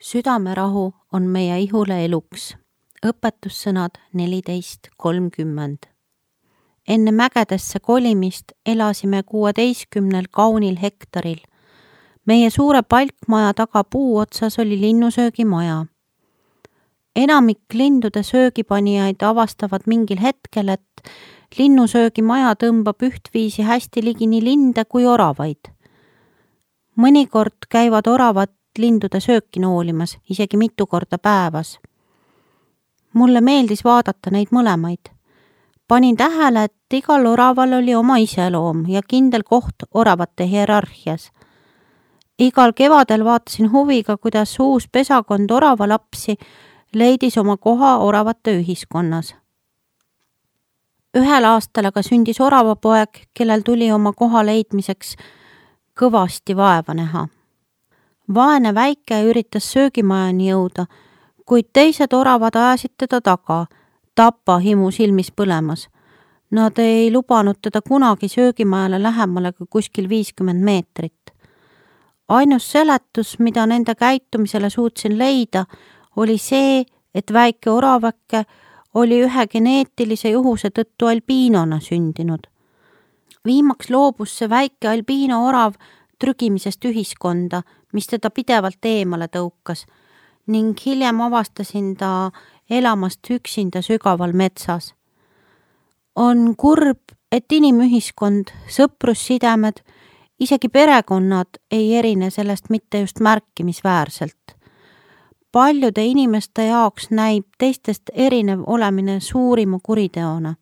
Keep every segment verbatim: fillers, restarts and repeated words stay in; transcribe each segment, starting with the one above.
Südamerahu on meie ihule eluks. Õpetussõnad neliteist kolmkümmend. Enne mägedesse kolimist elasime kuueteistkümnel kaunil hektaril. Meie suure palkmaja taga puu otsas oli linnusöögimaja. Enamik lindude söögipanijaid avastavad mingil hetkel, et linnusöögimaja tõmbab ühtviisi hästi ligi nii linde kui oravaid. Mõnikord käivad oravad lindude sööki noolimas, isegi mitu korda päevas. Mulle meeldis vaadata neid mõlemaid. Panin tähele, et igal oraval oli oma iseloom ja kindel koht oravate hierarhias. Igal kevadel vaatasin huviga, kuidas uus pesakond oravalapsi leidis oma koha oravate ühiskonnas. Ühel aastal aga sündis oravapoeg, kellel tuli oma koha leidmiseks kõvasti vaeva näha. Vaene väike üritas söögimajani jõuda, kuid teised oravad ajasid teda taga, tapa himu silmis põlemas. Nad ei lubanud teda kunagi söögimajale lähemale kui kuskil viiskümmend meetrit. Ainus seletus, mida nende käitumisele suutsin leida, oli see, et väike oravake oli ühe geneetilise juhuse tõttu albiinona sündinud. Viimaks loobus see väike albiino orav trügimisest ühiskonda, mis teda pidevalt eemale tõukas, ning hiljem avastasin ta elamast üksinda sügaval metsas. On kurb, et inimühiskond, sõprussidemed, isegi perekonnad ei erine sellest mitte just märkimisväärselt. Paljude inimeste jaoks näib teistest erinev olemine suurima kuriteona.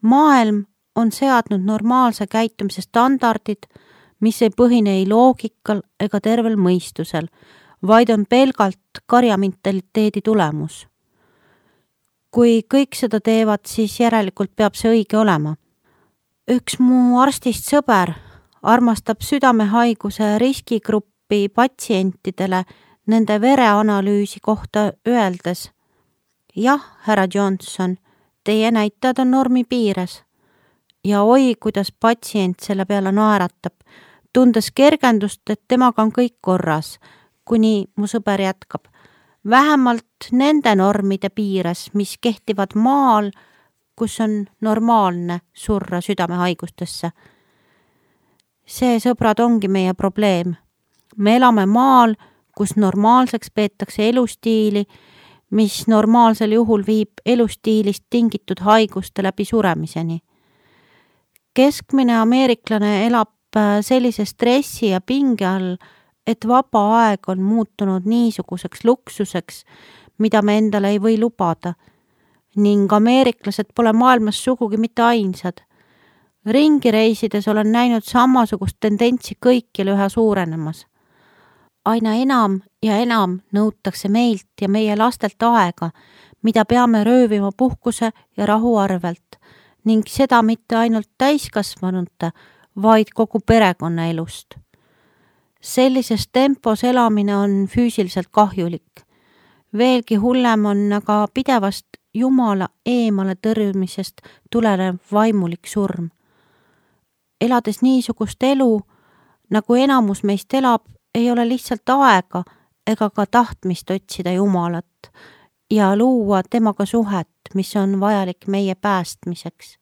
Maailm on seadnud normaalse käitumise standardid, mis ei põhine ei loogikal ega tervel mõistusel, vaid on pelgalt karjamentaliteedi tulemus. Kui kõik seda teevad, siis järelikult peab see õige olema. Üks mu arstist sõber armastab südamehaiguse riskigruppi patsientidele nende vereanalüüsi kohta öeldes: jah, härra Johnson, teie näitajad on normi piires. Ja oi, kuidas patsient selle peale naeratab, tundes kergendust, et temaga on kõik korras, kuni mu sõber jätkab. Vähemalt nende normide piires, mis kehtivad maal, kus on normaalne surra südamehaigustesse. See, sõbrad, ongi meie probleem. Me elame maal, kus normaalseks peetakse elustiili, mis normaalsel juhul viib elustiilist tingitud haiguste läbi suremiseni. Keskmine ameeriklane elab sellise stressi ja pinge all, et vaba aeg on muutunud niisuguseks luksuseks, mida me endale ei või lubada, ning ameeriklased pole maailmas sugugi mitte ainsad. Ringi reisides olen näinud samasugust tendentsi kõikjal üha suurenemas. Aina enam ja enam nõutakse meilt ja meie lastelt aega, mida peame röövima puhkuse ja rahu arvelt, ning seda mitte ainult täiskasvanute, vaid kogu perekonna elust. Sellises tempos elamine on füüsiliselt kahjulik. Veelgi hullem on aga pidevast Jumala eemale tõrjumisest tulenev vaimulik surm. Elades niisugust elu, nagu enamus meist elab, ei ole lihtsalt aega ega ka tahtmist otsida Jumalat ja luua temaga suhet, mis on vajalik meie päästmiseks.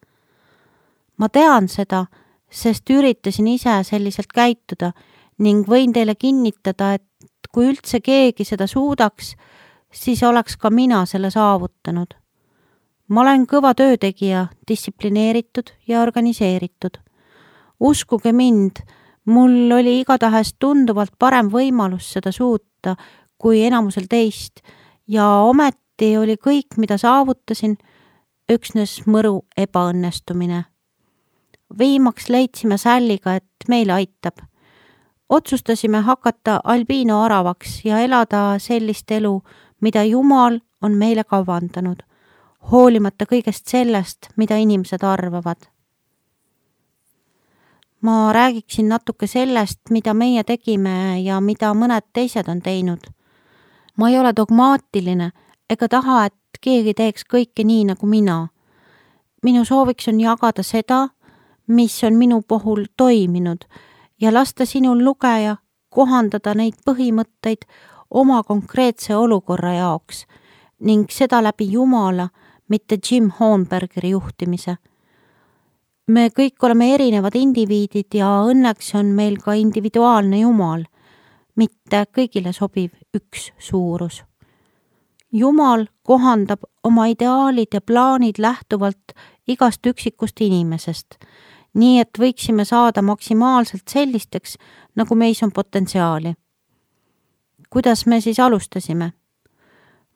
Ma tean seda, sest üritasin ise selliselt käituda ning võin teile kinnitada, et kui üldse keegi seda suudaks, siis oleks ka mina selle saavutanud. Ma olen kõva töötegija, distsiplineeritud ja organiseeritud. Uskuge mind, mul oli igatahes tunduvalt parem võimalus seda suuta kui enamusel teist ja ometi oli kõik, mida saavutasin, üksnes mõru ebaõnnestumine. Viimaks leidsime Salliga, et meil aitab. Otsustasime hakata albiino oravaks ja elada sellist elu, mida Jumal on meile kavandanud, hoolimata kõigest sellest, mida inimesed arvavad. Ma räägiksin natuke sellest, mida meie tegime ja mida mõned teised on teinud. Ma ei ole dogmaatiline ega taha, et keegi teeks kõike nii nagu mina. Minu sooviks on jagada seda, mis on minu puhul toiminud ja lasta sinul lugeja kohandada neid põhimõtteid oma konkreetse olukorra jaoks ning seda läbi Jumala, mitte Jim Hornbergeri juhtimise. Me kõik oleme erinevad indiviidid ja õnneks on meil ka individuaalne Jumal, mitte kõigile sobiv üks suurus. Jumal kohandab oma ideaalid ja plaanid lähtuvalt igast üksikust inimesest, nii et võiksime saada maksimaalselt sellisteks, nagu meis on potentsiaali. Kuidas me siis alustasime?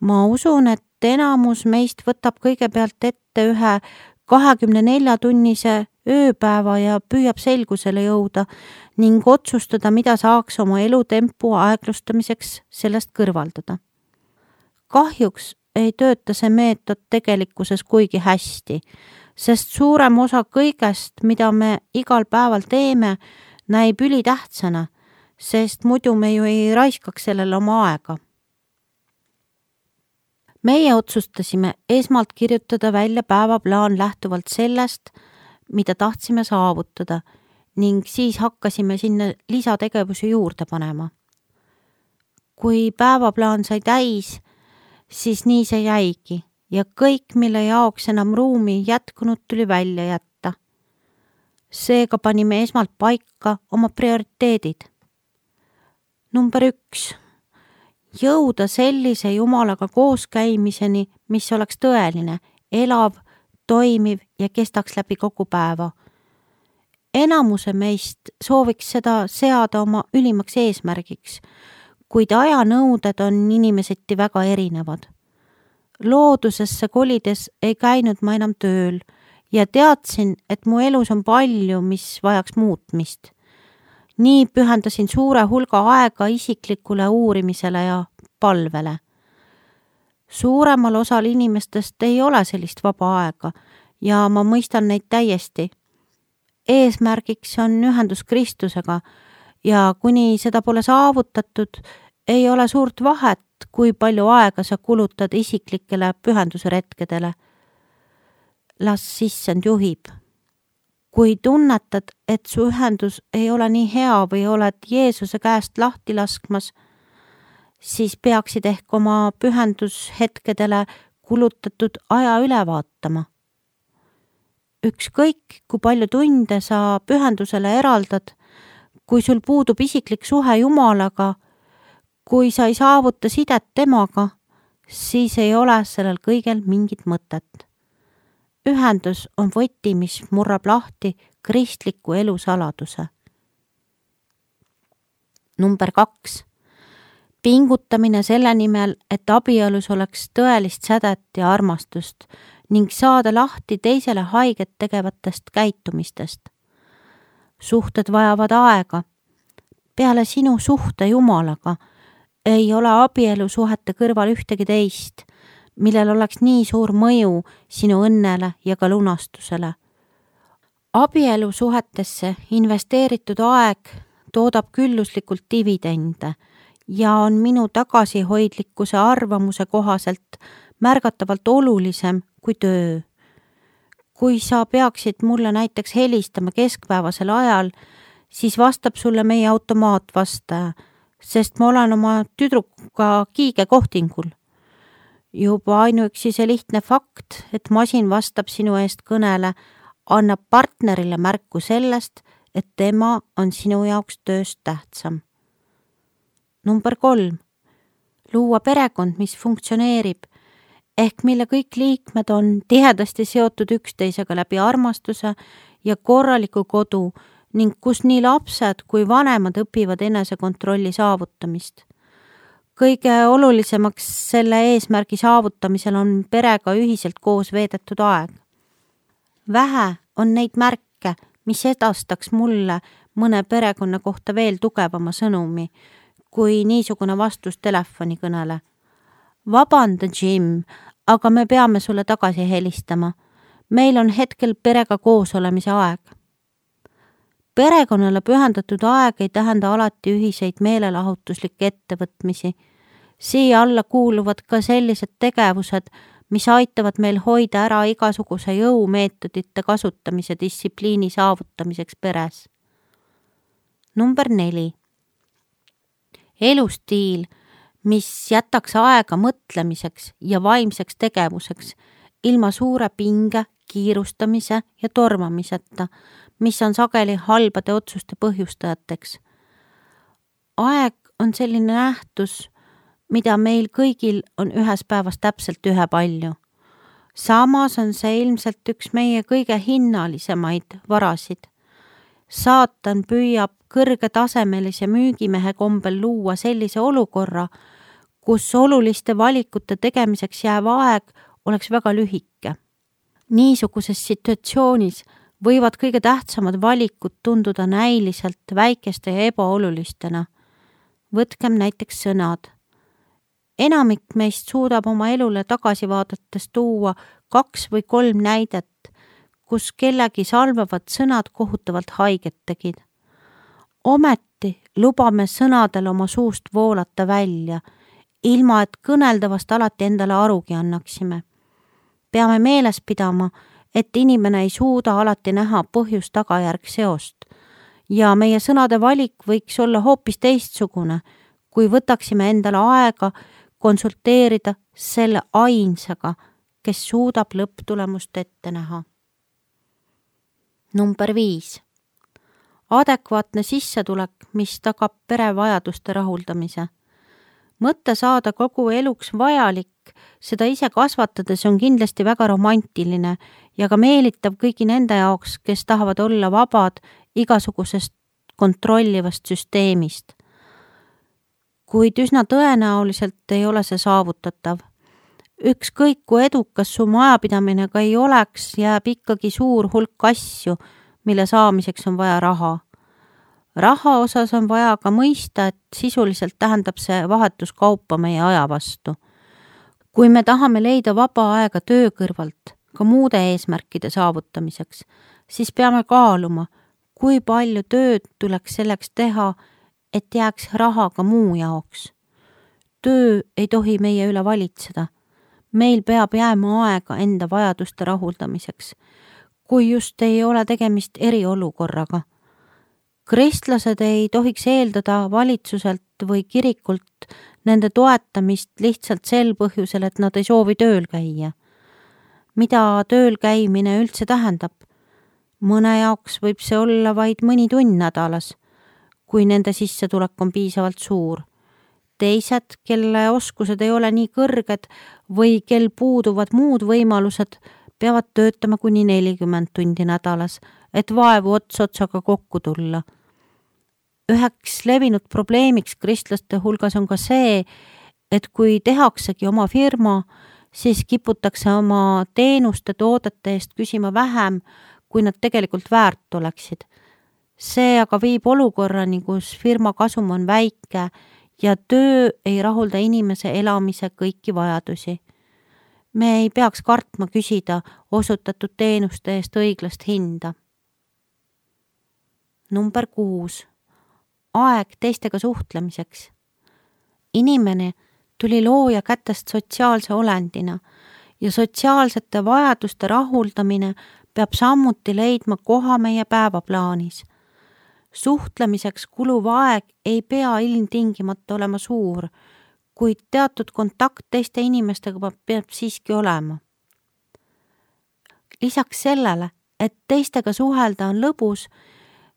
Ma usun, et enamus meist võtab kõigepealt ette ühe kahekümne nelja tunnise ööpäeva ja püüab selgusele jõuda ning otsustada, mida saaks oma elutempu aeglustamiseks sellest kõrvaldada. Kahjuks ei tööta see meetod tegelikkuses kuigi hästi, sest suurem osa kõigest, mida me igal päeval teeme, näib ülitähtsana, sest muidu me ju ei raiskaks sellele oma aega. Meie otsustasime esmalt kirjutada välja päevaplaan lähtuvalt sellest, mida tahtsime saavutada ning siis hakkasime sinna lisategevusi juurde panema. Kui päevaplaan sai täis, siis nii see jäigi ja kõik, mille jaoks enam ruumi jätkunud, tuli välja jätta. Seega panime esmalt paika oma prioriteedid. Number üks. Jõuda sellise Jumalaga kooskäimiseni, mis oleks tõeline, elav, toimiv ja kestaks läbi kogu päeva. Enamuse meist sooviks seda seada oma ülimaks eesmärgiks, kuid ajanõuded on inimeseti väga erinevad. Loodusesse kolides ei käinud ma enam tööl ja teadsin, et mu elus on palju, mis vajaks muutmist. Nii pühendasin suure hulga aega isiklikule uurimisele ja palvele. Suuremal osal inimestest ei ole sellist vaba aega ja ma mõistan neid täiesti. Eesmärgiks on ühendus Kristusega ja kuni seda pole saavutatud, ei ole suurt vahet, kui palju aega sa kulutad isiklikele pühendusretkedele. Las sissend juhib. Kui tunnetad, et su ühendus ei ole nii hea või oled Jeesuse käest lahti laskmas, siis peaksid ehk oma pühendushetkedele kulutatud aja üle vaatama. Ükskõik, kui palju tunde sa pühendusele eraldad, kui sul puudub isiklik suhe Jumalaga, kui sa ei saavuta sidet temaga, siis ei ole sellel kõigel mingit mõtet. Ühendus on võti, mis murrab lahti kristliku elu saladuse. Number kaks. Pingutamine selle nimel, et abielus oleks tõelist sädet ja armastust ning saada lahti teisele haiget tegevatest käitumistest. Suhted vajavad aega. Peale sinu suhte Jumalaga ei ole abielusuhete kõrval ühtegi teist, millel oleks nii suur mõju sinu õnnele ja ka lunastusele. Abielusuhetesse investeeritud aeg toodab külluslikult dividende ja on minu tagasihoidlikkuse arvamuse kohaselt märgatavalt olulisem kui töö. Kui sa peaksid mulle näiteks helistama keskpäevasel ajal, siis vastab sulle meie automaatvastaja, sest ma olen oma tüdrukuga kiige kohtingul. Juba ainuüksi see lihtne fakt, et masin vastab sinu eest kõnele, annab partnerile märku sellest, et tema on sinu jaoks tööst tähtsam. Number kolm. Luua perekond, mis funktsioneerib, ehk mille kõik liikmed on tihedasti seotud üksteisega läbi armastuse ja korraliku kodu ning kus nii lapsed kui vanemad õpivad enesekontrolli saavutamist. Kõige olulisemaks selle eesmärgi saavutamisel on perega ühiselt koos veedetud aeg. Vähe on neid märke, mis edastaks mulle mõne perekonna kohta veel tugevama sõnumi, kui niisugune vastus telefonikõnele. Vabanda, Jim, aga me peame sulle tagasi helistama. Meil on hetkel perega koos olemise aeg. Perekonnale pühendatud aeg ei tähenda alati ühiseid meelelahutuslikke ettevõtmisi. Siia alla kuuluvad ka sellised tegevused, mis aitavad meil hoida ära igasuguse jõumeetodite kasutamise distsipliini saavutamiseks peres. Number neli. Elustiil, mis jätaks aega mõtlemiseks ja vaimseks tegevuseks, ilma suure pinge, kiirustamise ja tormamiseta, mis on sageli halbade otsuste põhjustajateks. Aeg on selline nähtus, mida meil kõigil on ühes päevas täpselt ühe palju. Samas on see ilmselt üks meie kõige hinnalisemaid varasid. Saatan püüab kõrgetasemelise müügimehe kombel luua sellise olukorra, kus oluliste valikute tegemiseks jääv aeg oleks väga lühike. Niisuguses situatsioonis võivad kõige tähtsamad valikud tunduda näiliselt väikeste ja ebaolulistena. Võtkem näiteks sõnad. Enamik meist suudab oma elule tagasi vaadates tuua kaks või kolm näidet, kus kellegi salvavad sõnad kohutavalt haiget tegid. Ometi lubame sõnadel oma suust voolata välja, ilma et kõneldavast alati endale arugi annaksime. Peame meeles pidama, et inimene ei suuda alati näha põhjus-tagajärg seost ja meie sõnade valik võiks olla hoopis teistsugune, kui võtaksime endale aega konsulteerida selle ainsaga, kes suudab lõpptulemust ette näha. Number viis. Adekvaatne sissetulek, mis tagab perevajaduste rahuldamise. Mõtte saada kogu eluks vajalik, seda ise kasvatades on kindlasti väga romantiline ja ka meelitav kõigi nende jaoks, kes tahavad olla vabad igasugusest kontrollivast süsteemist. Kuid üsna tõenäoliselt ei ole see saavutatav. Ükskõik kui edukas su majapidamine ka ei oleks, jääb ikkagi suur hulk asju, mille saamiseks on vaja raha. Raha osas on vaja ka mõista, et sisuliselt tähendab see vahetuskaupa meie aja vastu. Kui me tahame leida vaba aega töö kõrvalt, ka muude eesmärkide saavutamiseks, siis peame kaaluma, kui palju tööd tuleks selleks teha, et jääks raha ka muu jaoks. Töö ei tohi meie üle valitseda. Meil peab jääma aega enda vajaduste rahuldamiseks, kui just ei ole tegemist eriolukorraga. Kristlased ei tohiks eeldada valitsuselt või kirikult nende toetamist lihtsalt sel põhjusel, et nad ei soovi tööl käia. Mida tööl käimine üldse tähendab? Mõne jaoks võib see olla vaid mõni tund nädalas, kui nende sissetulek on piisavalt suur. Teised, kelle oskused ei ole nii kõrged või kel puuduvad muud võimalused, peavad töötama kuni nelikümmend tundi nädalas, et vaevu ots otsaga kokku tulla. Üheks levinud probleemiks kristlaste hulgas on ka see, et kui tehaksegi oma firma, siis kiputakse oma teenuste toodete eest küsima vähem, kui nad tegelikult väärt oleksid. See aga viib olukorrani, kus firma kasum on väike ja töö ei rahulda inimese elamise kõiki vajadusi. Me ei peaks kartma küsida osutatud teenuste eest õiglast hinda. Number kuus. Aeg teistega suhtlemiseks. Inimene tuli looja kätest sotsiaalse olendina ja sotsiaalsete vajaduste rahuldamine peab samuti leidma koha meie päevaplaanis. Suhtlemiseks kuluv aeg ei pea ilmtingimata olema suur, kuid teatud kontakt teiste inimestega peab siiski olema. Lisaks sellele, et teistega suhelda on lõbus,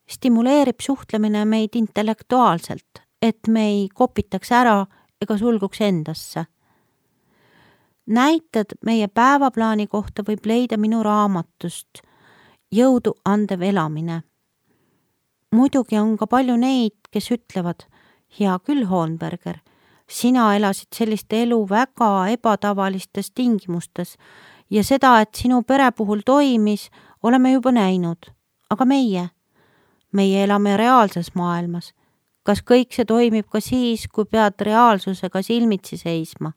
stimuleerib suhtlemine meid intellektuaalselt, et me ei kopitaks ära ega sulguks endasse. Näited meie päevaplaani kohta võib leida minu raamatust Jõudu andev elamine. Muidugi on ka palju neid, kes ütlevad, hea küll, Hohenberger, sina elasid sellist elu väga ebatavalistes tingimustes ja seda, et sinu pere puhul toimis, oleme juba näinud. Aga meie? Meie elame reaalses maailmas. Kas kõik see toimib ka siis, kui pead reaalsusega silmitsi seisma?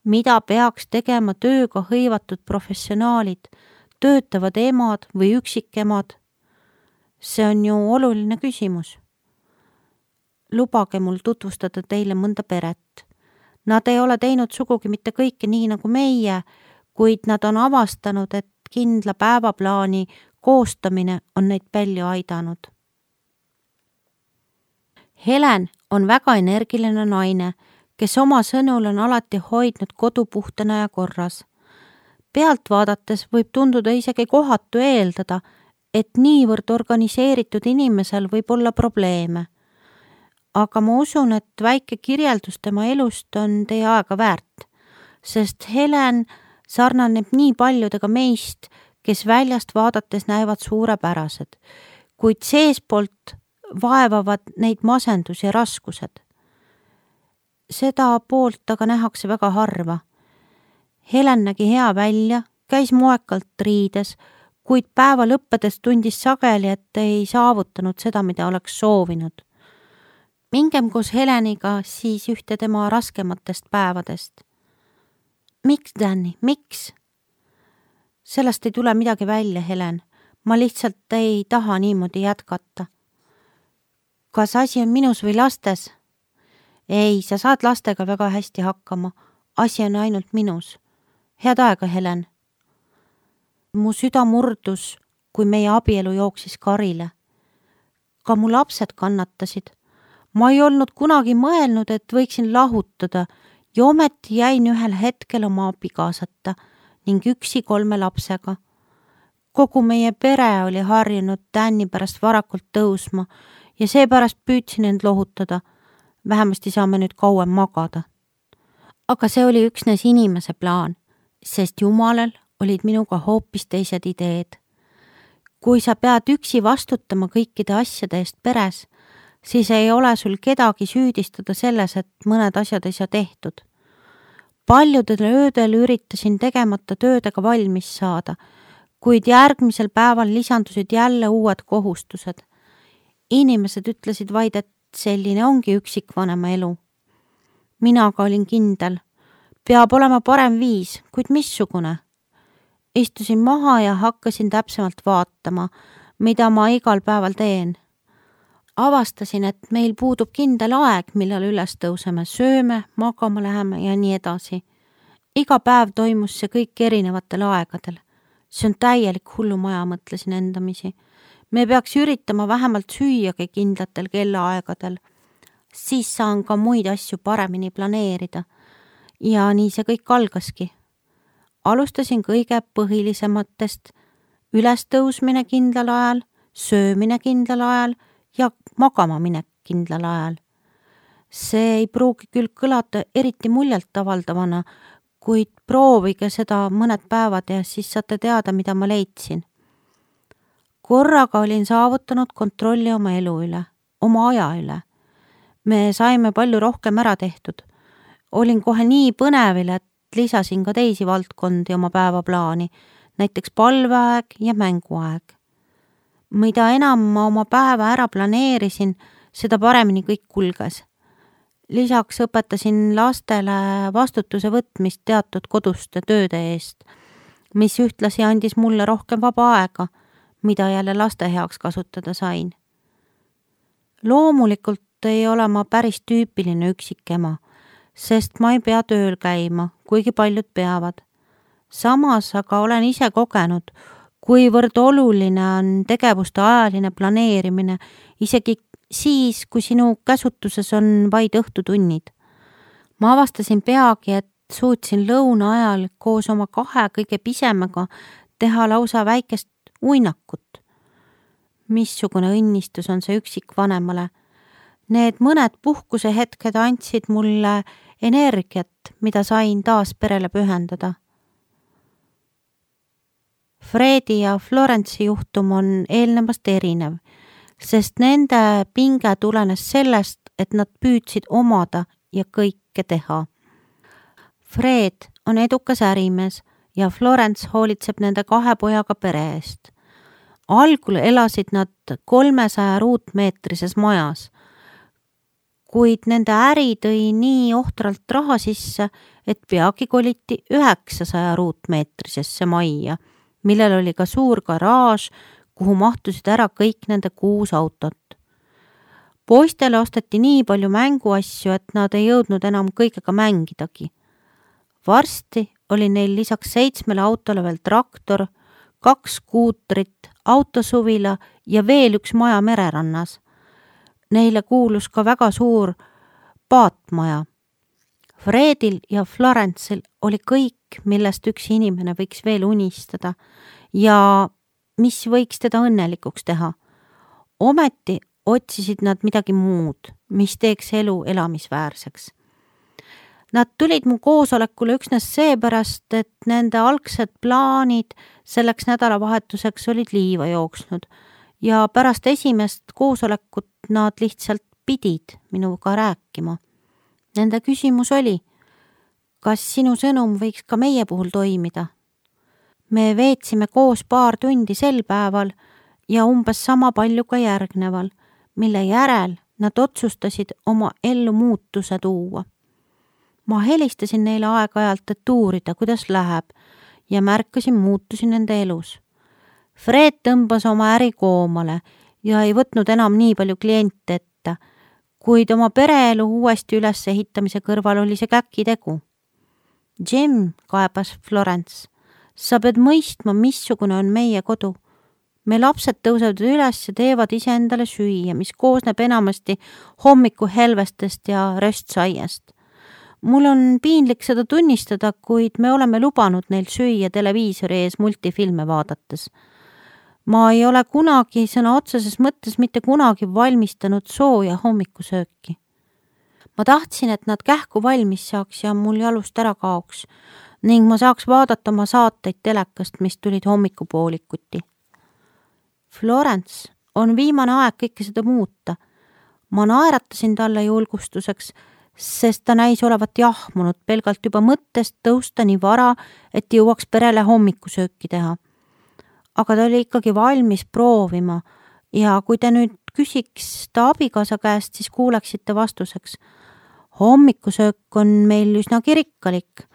Mida peaks tegema tööga hõivatud professionaalid, töötavad emad või üksikemad? See on ju oluline küsimus. Lubage mul tutvustada teile mõnda peret. Nad ei ole teinud sugugi mitte kõike nii nagu meie, kuid nad on avastanud, et kindla päevaplaani koostamine on neid palju aidanud. Helen on väga energiline naine, kes oma sõnul on alati hoidnud kodu puhtana ja korras. Pealt vaadates võib tunduda isegi kohatu eeldada, et niivõrd organiseeritud inimesel võib olla probleeme. Aga ma usun, et väike kirjeldus tema elust on teie aega väärt, sest Helen sarnaneb nii paljudega meist, kes väljast vaadates näevad suurepärased, kuid seespoolt vaevavad neid masendus ja raskused. Seda poolt aga nähakse väga harva. Helen nägi hea välja, käis moekalt riides, kuid päeva lõppedes tundis sageli, et ei saavutanud seda, mida oleks soovinud. Mingem koos Heleniga siis ühte tema raskematest päevadest. Miks, Danny, miks? Sellest ei tule midagi välja, Helen. Ma lihtsalt ei taha niimoodi jätkata. Kas asi on minus või lastes? Ei, sa saad lastega väga hästi hakkama. Asi on ainult minus. Head aega, Helen. Mu süda murdus, kui meie abielu jooksis karile. Ka mu lapsed kannatasid. Ma ei olnud kunagi mõelnud, et võiksin lahutada ja ometi jäin ühel hetkel oma abikaasata ning üksi kolme lapsega. Kogu meie pere oli harjunud Danny pärast varakult tõusma ja seepärast püüdsin end lohutada. Vähemasti saame nüüd kauem magada. Aga see oli üksnes inimese plaan, sest Jumalal olid minuga hoopis teised ideed. Kui sa pead üksi vastutama kõikide asjade eest peres, siis ei ole sul kedagi süüdistada selles, et mõned asjad ei saa tehtud. Paljudel öödel üritasin tegemata töödega valmis saada, kuid järgmisel päeval lisandusid jälle uued kohustused. Inimesed ütlesid vaid, et selline ongi üksikvanema elu. Mina aga olin kindel. Peab olema parem viis, kuid missugune? Istusin maha ja hakkasin täpsemalt vaatama, mida ma igal päeval teen. Avastasin, et meil puudub kindel aeg, millal üles tõuseme, sööme, magama läheme ja nii edasi. Iga päev toimus see kõik erinevatel aegadel. See on täielik hullumaja, mõtlesin endamisi. Me peaks üritama vähemalt süüagi kindlatel kellaaegadel. Siis saan ka muid asju paremini planeerida. Ja nii see kõik algaski. Alustasin kõige põhilisematest: ülestõusmine kindlal ajal, söömine kindlal ajal ja magama minek kindlal ajal. See ei pruugi küll kõlata eriti muljalt avaldavana, kuid proovige seda mõned päevad ja siis saate teada, mida ma leidsin. Korraga olin saavutanud kontrolli oma elu üle, oma aja üle. Me saime palju rohkem ära tehtud. Olin kohe nii põnevil, et lisasin ka teisi valdkondi oma päevaplaani, näiteks palveaeg ja mänguaeg. Mida enam ma oma päeva ära planeerisin, seda paremini kõik kulges. Lisaks õpetasin lastele vastutuse võtmist teatud koduste tööde eest, mis ühtlasi andis mulle rohkem vaba aega, mida jälle laste heaks kasutada sain. Loomulikult ei ole ma päris tüüpiline üksikema, sest ma ei pea tööl käima, kuigi paljud peavad. Samas aga olen ise kogenud, kuivõrd oluline on tegevuste ajaline planeerimine, isegi siis, kui sinu käsutuses on vaid õhtutunnid. Ma avastasin peagi, et suutsin lõuna ajal koos oma kahe kõige pisemaga teha lausa väikest uinakut. Missugune õnnistus on see üksikvanemale. Need mõned puhkuse hetked andsid mulle energiat, mida sain taas perele pühendada. Fredi ja Florence'i juhtum on eelnevast erinev, sest nende pinge tulenes sellest, et nad püüdsid omada ja kõike teha. Fred on edukas ärimees ja Florence hoolitseb nende kahe pojaga pere eest. Algul elasid nad kolmesaja ruutmeetrises majas, kuid nende äri tõi nii ohtralt raha sisse, et peagi koliti üheksasaja ruutmeetrisesse majja, millel oli ka suur garaaž, kuhu mahtusid ära kõik nende kuus autot. Poistele osteti nii palju mänguasju, et nad ei jõudnud enam kõigega mängidagi. Varsti oli neil lisaks seitsmele autole veel traktor, kaks skuutrit, autosuvila ja veel üks maja mererannas. Neile kuulus ka väga suur paatmaja. Fredil ja Florence'il oli kõik, millest üks inimene võiks veel unistada ja mis võiks teda õnnelikuks teha. Ometi otsisid nad midagi muud, mis teeks elu elamisväärseks. Nad tulid mu koosolekule üksnes seepärast, et nende algsed plaanid selleks nädalavahetuseks olid liiva jooksnud ja pärast esimest koosolekut nad lihtsalt pidid minuga rääkima. Nende küsimus oli, kas sinu sõnum võiks ka meie puhul toimida? Me veetsime koos paar tundi sel päeval ja umbes sama palju ka järgneval, mille järel nad otsustasid oma ellu muutuse tuua. Ma helistasin neile aeg-ajalt, et uurida, kuidas läheb ja märkasin muutusi nende elus. Fred tõmbas oma äri koomale ja ei võtnud enam nii palju kliente ette, kuid oma pereelu uuesti ülesehitamise kõrval oli see käkitegu. Jim, kaebas Florence, sa pead mõistma, missugune on meie kodu. Me lapsed tõusevad üles ja teevad ise endale süüa, mis koosneb enamasti hommiku helvestest ja röstsaiest. Mul on piinlik seda tunnistada, kuid me oleme lubanud neil süüa televiisori ees multifilme vaadates. Ma ei ole kunagi sõna otseses mõttes mitte kunagi valmistanud sooja hommikusööki. Ma tahtsin, et nad kähku valmis saaks ja mul jalust ära kaoks ning ma saaks vaadata oma saateid telekast, mis tulid hommikupoolikuti. Florence, on viimane aeg kõike seda muuta. Ma naeratasin talle julgustuseks, sest ta näis olevat jahmunud pelgalt juba mõttest tõusta nii vara, et jõuaks perele hommikusööki teha. Aga ta oli ikkagi valmis proovima ja kui te nüüd küsiks ta abikaasa käest, siis kuuleksite vastuseks. Hommikusöök on meil üsna rikkalik.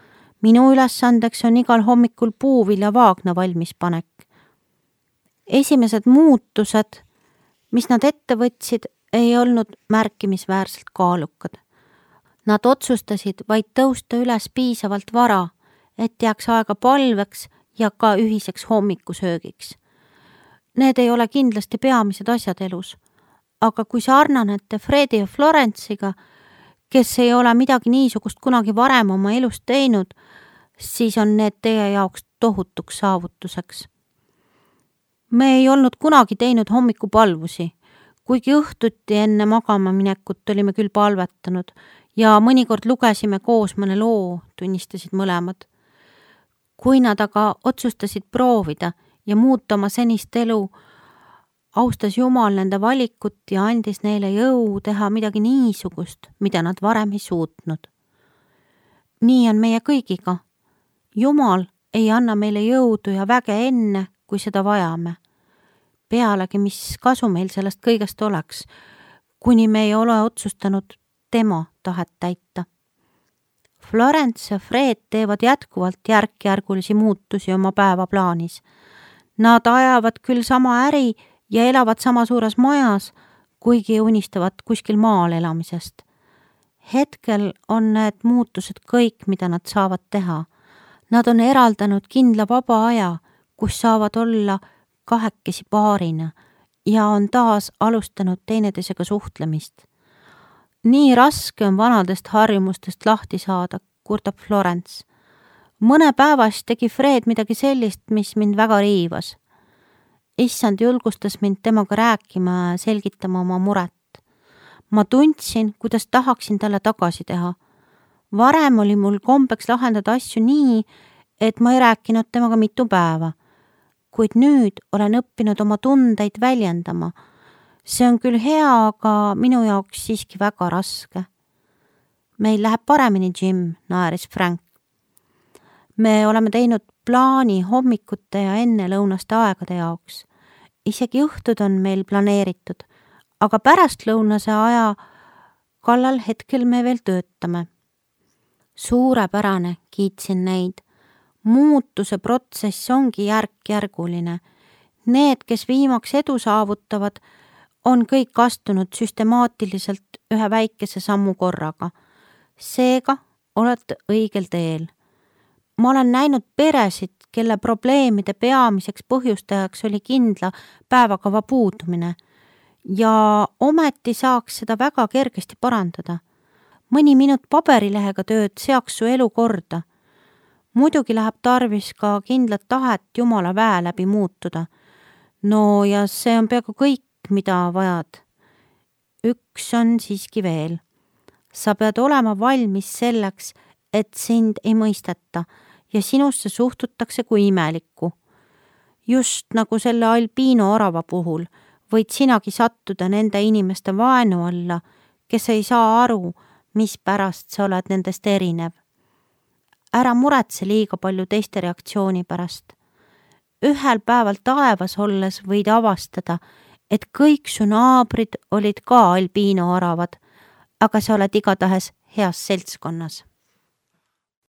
Minu ülesandeks on igal hommikul puuvilja vaagna valmispanek. Esimesed muutused, mis nad ette võtsid, ei olnud märkimisväärselt kaalukad. Nad otsustasid vaid tõusta üles piisavalt vara, et jääks aega palveks ja ka ühiseks hommikusöögiks. Need ei ole kindlasti peamised asjad elus, aga kui sarnanete Fredi ja Florence'iga, kes ei ole midagi niisugust kunagi varem oma elust teinud, siis on need teie jaoks tohutuks saavutuseks. Me ei olnud kunagi teinud hommikupalvusi, kuigi õhtuti enne magama minekut olime küll palvetanud ja mõnikord lugesime koos mõne loo, tunnistasid mõlemad. Kui nad aga otsustasid proovida ja muuta oma senist elu, austas Jumal nende valikut ja andis neile jõu teha midagi niisugust, mida nad varem ei suutnud. Nii on meie kõigiga. Jumal ei anna meile jõudu ja väge enne, kui seda vajame. Pealegi, mis kasu meil sellest kõigest oleks, kuni me ei ole otsustanud tema tahet täita. Florence ja Fred teevad jätkuvalt järk-järgulisi muutusi oma päevaplaanis. Nad ajavad küll sama äri ja elavad sama suures majas, kuigi unistavad kuskil maal elamisest. Hetkel on need muutused kõik, mida nad saavad teha. Nad on eraldanud kindla vaba aja, kus saavad olla kahekesi paarina ja on taas alustanud teineteisega suhtlemist. Nii raske on vanadest harjumustest lahti saada, kurdab Florence. Mõne päevas tegi Fred midagi sellist, mis mind väga riivas. Issand julgustas mind temaga rääkima ja selgitama oma muret. Ma tundsin, kuidas tahaksin talle tagasi teha. Varem oli mul kombeks lahendada asju nii, et ma ei rääkinud temaga mitu päeva. Kuid nüüd olen õppinud oma tundeid väljendama. See on küll hea, aga minu jaoks siiski väga raske. Meil läheb paremini, Jim, naeris Frank. Me oleme teinud plaani hommikute ja enne lõunaste aegade jaoks. Isegi õhtud on meil planeeritud, aga pärast lõunase aja kallal hetkel me veel töötame. Suurepärane, kiitsin neid. Muutuse protsess ongi järk-järguline. Need, kes viimaks edu saavutavad, on kõik astunud süstemaatiliselt ühe väikese sammu korraga. Seega olete õigel teel. Ma olen näinud peresid, kelle probleemide peamiseks põhjustajaks oli kindla päevakava puudumine ja ometi saaks seda väga kergesti parandada. mõni minut paberilehega tööd seaks su elu korda. Muidugi läheb tarvis ka kindlat tahet Jumala väe läbi muutuda. No ja see on peaaegu kõik, mida vajad. Üks on siiski veel. Sa pead olema valmis selleks, et sind ei mõisteta ja sinusse suhtutakse kui imelikku. Just nagu selle albiino orava puhul võid sinagi sattuda nende inimeste vaenu alla, kes ei saa aru, mis pärast sa oled nendest erinev. Ära muretse liiga palju teiste reaktsiooni pärast. Ühel päeval taevas olles võid avastada, et kõik su naabrid olid ka albiino oravad, aga sa oled igatahes heas seltskonnas.